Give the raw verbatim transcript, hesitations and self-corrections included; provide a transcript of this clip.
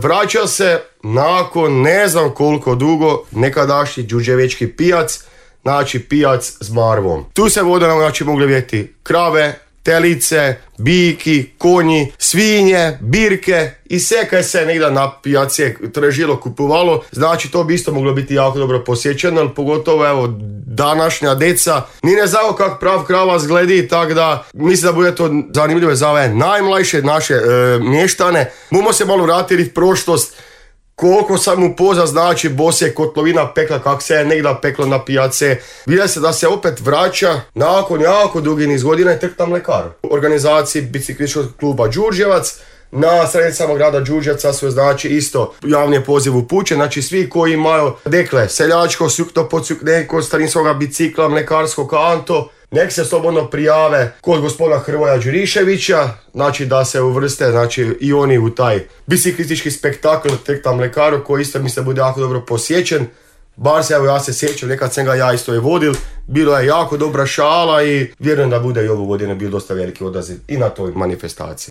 Vraća se nakon ne znam koliko dugo nekadašnji đurđevički pijac, znači pijac s Marvom. Tu se vode znači mogli vidjeti krave, telice, biki, konji, svinje, birke i sve kaj se negdje na pijaci tražilo, kupovalo. Znači to bi isto moglo biti jako dobro posjećeno, ali pogotovo evo današnja deca ni ne znaju kako prav krava zgledi, tako da mislim da bude to zanimljivo za ove najmlajše naše e, mještane. Moramo se malo vratiti v prošlost. Koliko sam mu poza znači Bosje kotlovina pekla, kak se je negdje peklo na pijace. Vidje se da se opet vraća nakon jako dugi niz godina i trk na mlekaru. U organizaciji biciklističkog kluba Đurđevac na stranicama grada Đurđevca su znači isto javni poziv upućen, znači svi koji imaju dekle seljačko, sukno podsukneko, starinskoga bicikla, mlekarskog kanto, nek se slobodno prijave kod gospodina Hrvoja Đuriševića, znači da se uvrste znači i oni u taj biciklistički spektakl Trk na mlekaru koji isto mi se bude jako dobro posjećen. Bar se, evo ja se sjećam, nekad sam ga ja isto je vodil, bilo je jako dobra šala i vjerujem da bude i ovu godinu bio dosta veliki odaziv i na toj manifestaciji.